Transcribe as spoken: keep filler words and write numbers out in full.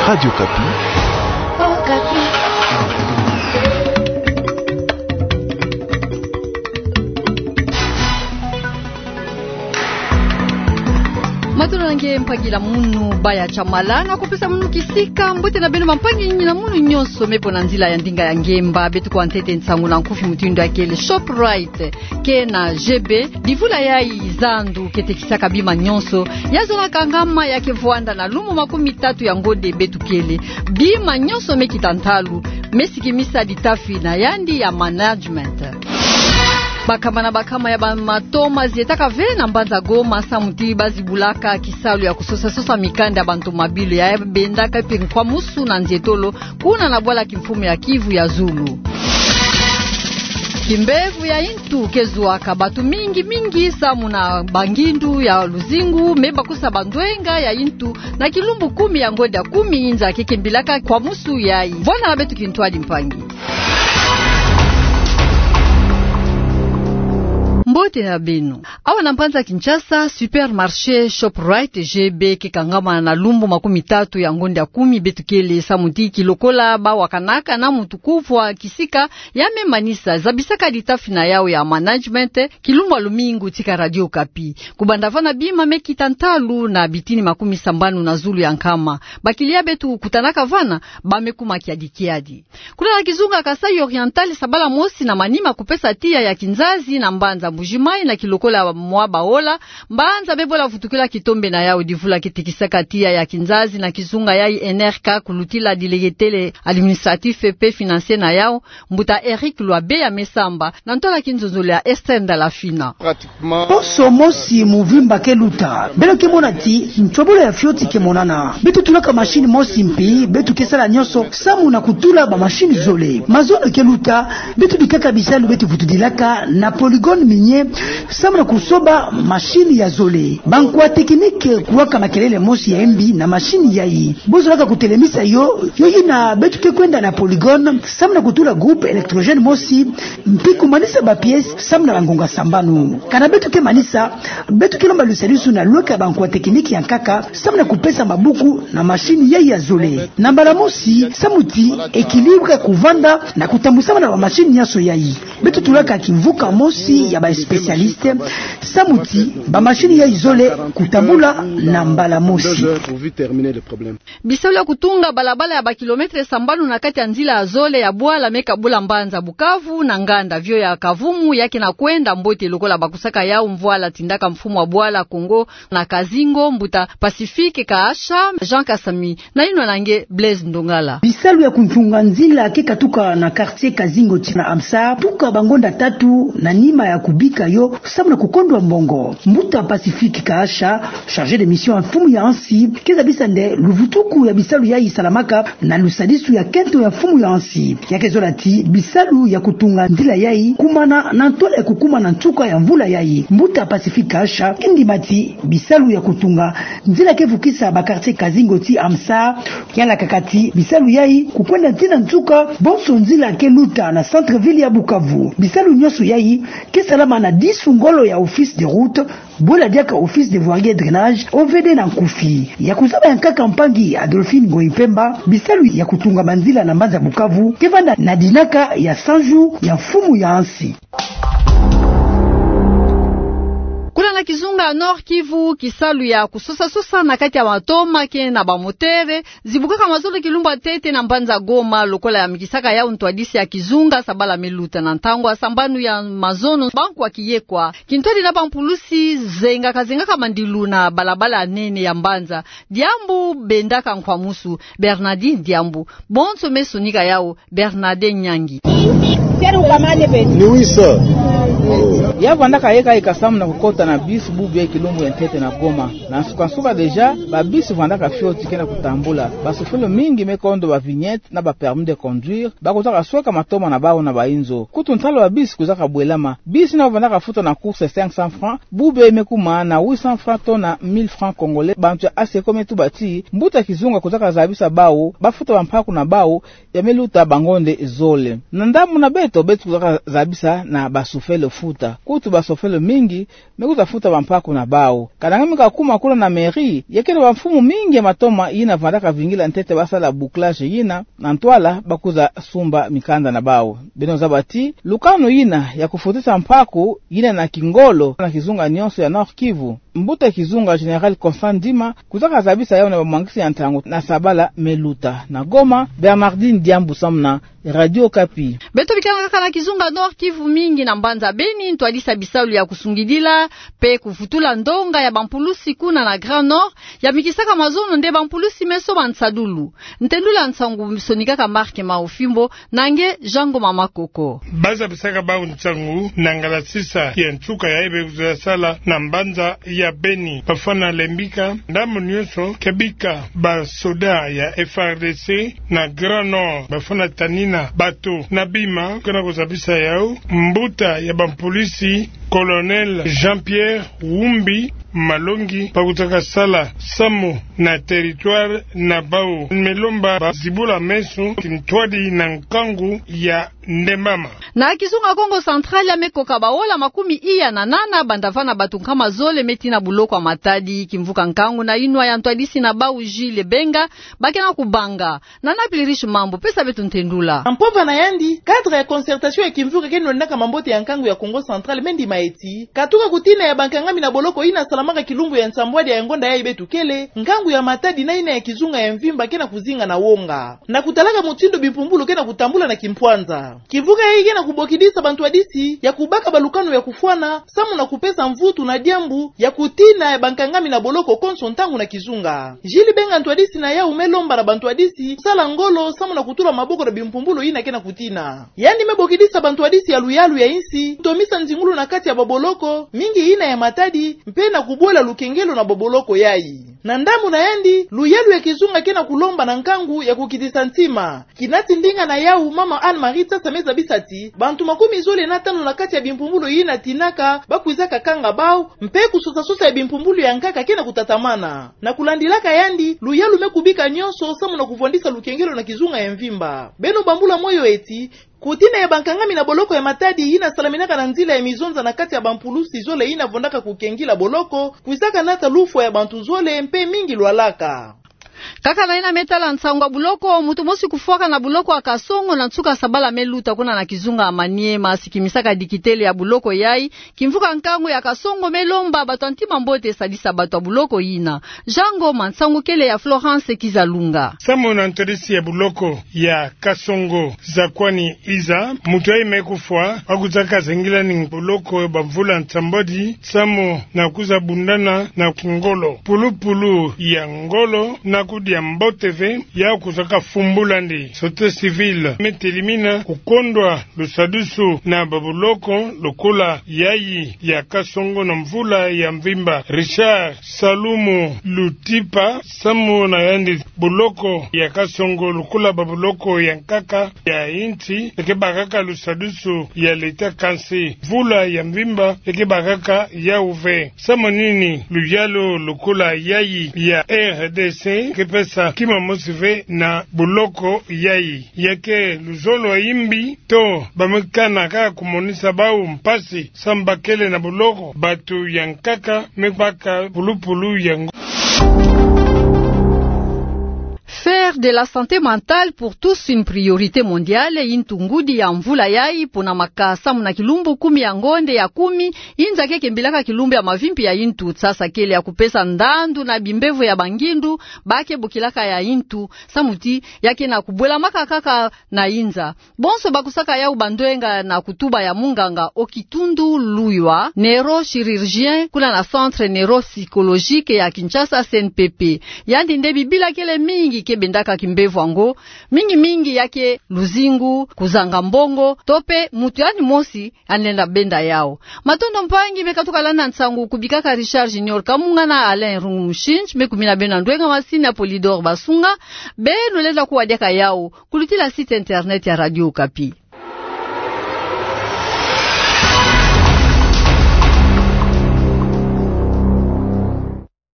Radio Okapi. Matondo na nge mpangi na munu Baya Tshamala, na kupesa munu kisika. Mbote na beno bampangi na munu nyonso me po na nzila ya ndinga ya ngemba. Beto kwa ntete nsangu na nkufi mutindu ya kele Shoprite ke na G B, divula yayi zandu ke tekisaka bima nyonso ya zola kangama ya ke vwanda na lumbu makumi tatu ya ngonde beto kele. Bima nyonso me kita ntalu, me sikimisa ditafi na yandi ya management. Bakama na bakama ya bamatoma zietaka ve na mbanza Goma samu ti ba zibulaka kisalu ya kusosa-sosa mikanda ya bantomabilu ya bendaka mpe nkwamusu na nzietolo kuna na bwala kimfumu ya Kivu ya zulu. Kimbevo ya intu ke zuaka bato mingi-mingi samu na bangindu ya luzingu me bakusa bandwenga ya intu na kilumbu kumi ya ngonde ya kumi inza ke kembilaka nkwamusu yayi. Vwanda na beto kintwadi mpangi. Mbote na beno. Awa na mbanza Kinshasa, supermarché Shoprite G B ke kangama na lumbu makumi tatu ya ngonde ya kumi beto kele samu ti kilokola bawakanaka na mutu kuvwa kisika ya me manisa zabisaka ditafi na yawu ya management kilumbu ya lumingu tika Radio Okapi. Kubanda vana bima me kita ntalu na bitini makumi sambanu na zulu ya nkama. Bakilia beto kutanaka vana ba me kuma kiadi-kiadi. Kuna na kizunga Kasaï Oriental, sabala mosi na manima kupesa tiya ya kinzazi na mbanza Mbuji-Mayi na kilokola mwa baola, mbanza me bola vutukila kitombe na yawu divula ke tekisaka tiya ya kinzazi na kizunga yayi N R K kulutila dilegetele administratif mpe financier na yawu, mbuta Eric Lwabeya me samba, na ntola kinzonzolo ya Esther Ndalafina. Poso mosi muvimba ke luta. Beno ke mona ti ntobolo ya fioti ke monana. Beto tulaka machine mosi mpi, beto ke sala nyonso samu na kutula ba machine zole. Mazono ke luta, beto bikaka bisalu beto vutudilaka na polygone minier samu na kusoba machine ya zole. Bankwa technique kuwaka makelele mosi ya mbi na machine yayi. Bo zolaka kutelemisa yo, yo yina beto ke kwenda na polygone samu na kutula groupe électrogène mosi, mpi kumanisa ba pièces samu na bangonga sambanu. Kana beto ke manisa, beto ke lomba lusadisu na lweka bankwa technique ya nkaka samu na kupesa mabuku na machine yayi ya zole. Na mbala mosi, samu ti équilibre kuvanda na kutambusama na ba machine nyonso yayi. Beto tulaka kimvuka mosi ya ba spécialiste samu ti ba machine yayi zole kutambula na mbala mosi. Bisalu ya kutunga balabala ya ba kilomètre sambanu na kati ya nzila ya zole ya bwala me kabula mbanza Bukavu na nganda vio ya Kavumu ya ke na kwenda mbote lokola bakusaka yawu mvwala tindaka mfumu wa bwala Kongo na Kazingo, mbuta Pacifique Kaasha. Jean Kasami na yinwa na nge Blaise Ndongala. Bisalu ya kuntunga nzila ke katuka na quartier Kazingo tii na AMSA, tuka bangonda tatu na nima ya kubika yo samu na kukondwa mbongo. Mbuta Pacifique Kaasha, chargé de mission ya mfumu ya nsi, ke zabisa nde luvutuku ya bisalu yayi salamaka na lusadisu ya nkento ya mfumu ya nsi. Ya ke zola ti bisalu ya kutunga nzila yayi kumana na ntola ya kukuma na nsuka ya mvula yayi. Mbuta Pacifique Kaasha ke ndima ti bisalu ya kutunga nzila ke vukisa ba quartier Kazingo tii AMSA ke yalakaka ti bisalu yayi kukwenda tii na nsuka bonso nzila ke luta na centre-ville ya Bukavu. Bisalu nyonso yayi ke salama na disu ngolo ya office de route, bola diaka office de voirie et drainage, O V D na nkufi. Ya kuzaba ya nkaka mpangi Adolphine Ngoyi Mpemba, bisalu ya kutunga banzila na mbanza Bukavu ke vanda na dinaka ya cent jours ya mfumu ya nsi. Kuna na kizunga Nord-Kivu, kisalu ya kusosa-sosa na kati ya matoma ke na bamotere zibukaka mazono kilumbu ya ntete na mbanza Goma, lokola yamikisaka yawu ntwadisi ya kizunga sabala me luta. Na ntangu ya sambanu ya mazono, bankwa kiyekwa, kintwadi na bampulusi zengaka-zengaka mandilu na balabala ya nene ya mbanza. Diambu bendaka nkwamusu, Bernardine Diambu. Bonso me sonika yawu, Bernadette Nyangi. Ya vandaka yeka-yeka samu na kukota na bus bubu kilumbu ya ntete na Goma. Na nsuka-nsuka déjà, ba bus vandaka fioti ke na kutambula. Bashofele mingi me kondo ba vignette na ba permis de conduire, bakotaka sweka matoma na bawu na bainzo. Kutu ntalu ba bus kuzaka bwelama. Bus yina vandaka futa na course cinq cents francs, bubu me kuma na huit cents francs to na mille francs congolais. Bantu ya ASECO me tuba ti mbuta kizunga kuzaka zabisa bawu bafuta bampaku na bawu ya me luta bangonde zole. Na ndambu na beto, beto kuzaka zabisa na bashofele futa. kutu basofele mingi me kwiza futa bampaku na bau. Kananga me kakuma kuna na mairie, ya ke na bamfumu mingi ya matoma yina vandaka vingila ntete basala bouclage yina, na ntwala ba kwiza sumba mikanda na bau. Beno zaba ti lukanu yina ya kufutisa mpaku yina na kingolo na kizunga nyonso ya Nord-Kivu. Mbuta kizunga Général Constant Ndima kwizaka zabisa yau na bamwangisi ya ntangu na sabala me luta. Na Goma, Bernardine Diambu samu na Radio Okapi. Beto bikana kaka na kizunga Nord-Kivu, mingi na mbanza Beni ntwadisi ya bisalu ya kusungidila pe kuvutula ndonga ya bampulusi kuna na Grand Nord yamikisaka mazono nde bampulusi meso ma nsadulu. Ntendula nsangu sonikaka Marc Maofimbo na nge Jean Ngoma Makoko. Ba zabisaka bau nsangu na ngalasisa ya nsuka yayi be kwiza sala na mbanza ya Beni. Bafwana lembika ndambu nyonso ke bika basoda ya F A R D C na Grand Nord. Bafwana tanina bato na bima ke na kuzabisa yau. Mbuta ya bampulisi, Colonel Jean-Pierre Wumbi Malongi, ba kuzaka sala samu na territoire na bau, me lomba bazibula meso, kintwadi na nkangu ya ndembama. Na kizunga Kongo Central, ya me koka baola makumi iya na nana, banda vana bato nkama zole me tina buloko ya Matadi. Kimvuka nkangu na inwa ya ntwadisi na bau Jules Benga ba ke na kubanga. Nana Plirish Mambu pesa beto ntendula. Na mpova na yandi, cadre ya concertation ya kimvuka ke nonaka mambote ya nkangu ya Kongo Central me ndima eti, katuka kutina ya bankangami na boloko yina salamaka kilumbu ya nsambwadi ya ngonda yayi beto kele, nkangu ya Matadi na yina ya kizunga ya mvimba ke na kuzinga na wonga. Na kutalaka motindo bimpumbulu ke na kutambula na kimpwanza, kimvuka yayi ke na kubokidisa bantwadisi ya kubaka balukanu ya kufwana samu na kupesa mvutu na diambu ya kutina ya bankangami na boloko konso ntangu na kizunga. Jules Benga, ntwadisi na yau, me lomba na bantwadisi kusala ngolo samu na kutula maboko na bimpumbulu yina ke na kutina. Yandi me bokidisa bantwadisi ya luyalu ya insi kutomisa nzingulu na kati ya baboloko, mingi yina ya Matadi, mpe na kubwela lukengelo na baboloko yayi. Na ndambu na yandi, luyalu ya kizunga ke na kulomba na nkangu ya kukitisa ntima. Kinati ndinga na yau, mama Anne-Marie Tsatsa me zabisa ti bantu makumi zole na tanu na kati ya bimpumbulu yina tinaka ba kwizaka kanga bau, mpe kusosa-sosa ya bimpumbulu ya nkaka ke na kutatamana. Na kulandilaka yandi, luyalu me kubika nyonso samu na kuvwandisa lukengelo na kizunga ya mvimba. Beno bambula moyo eti, kutina ya bankangami na boloko ya Matadi yina salaminaka na nzila ya mizonza na kati ya bampulusi zole yina vwandaka kukengila boloko, kwizaka nata lufwa ya bantu zole mpe mingi lwalaka. Kaka na yina me tala nsangu ya buloko, mutu mosi kufwaka na buloko ya Kasongo na nsuka sabala me luta kuna na kizunga ya Maniema, sikimisaka dikitele ya buloko yayi. Kimvuka nkangu ya Kasongo me lomba bato ya ntima mbote sadisa bato ya buloko yina. Jean Ngoma, nsangu kele ya Florence Kizalunga. Samu na ntwadisi ya buloko ya Kasongo, Zakwani Iza, mutu yayi me kufwa, ba kuzaka zengilani boloko bamvula nsambwadi samu na kwiza bundana na kingolo. Pulupulu ya ngolo na kudia mbote ve, ya kuzaka fumbulandi. Société civile me telimina kukondwa lusadusu na babuloko lokola yayi ya Kasongo na mvula ya mvimba. Richard Salumu Lutipa, samu na yandi, buloko ya Kasongo lokola babuloko ya nkaka ya insi, eke bakaka lusadusu ya leta, kansi mvula ya mvimba eke bakaka yau ve. Samu nini luyalu lokola yayi ya R D C ke pesa kima mosi ve na buloko yayi? Ya ke luzolo ya imbi to ba me kana kaka kumonisa bau mpasi samu ba kele na buloko? Bato ya nkaka me baka pulupulu ya ngo- Faire de la santé mentale pour tous une priorité mondiale, yintu ngudi ya mvula yayi ponamaka samu na kilumbu kumi ya ngonde ya kumi. Inza ke kembilaka kilumbu ya mavimpi ya yintu. Sasa kele ya kupesa ndandu na bimbevo ya bangindu ba ke bokilaka ya yintu, samu ti ya ke na kubwelamaka kaka na inza. Bonso ba kusaka yau bandwenga na kutuba ya munganga Okitundu Luywa, neurochirurgien kuna na Centre Neuropsychologique ya Kinshasa, C N P P. Yandi nde bibila kele mingi ke bendaka kimbevo yango, mingi mingi ya ke luzingu, kuzanga mbongo, to pe mutu yandi mosi yandi lenda benda yau. Matondo mpangi me katuka landa nsangu. Kubikaka Richard Junior Kamunga na Alain Rungu Mushinji, me kumina beno na ndwenga masini ya Polydor Basunga. Beno lenda kuwa diaka yau kulutila site internet ya Radio Okapi.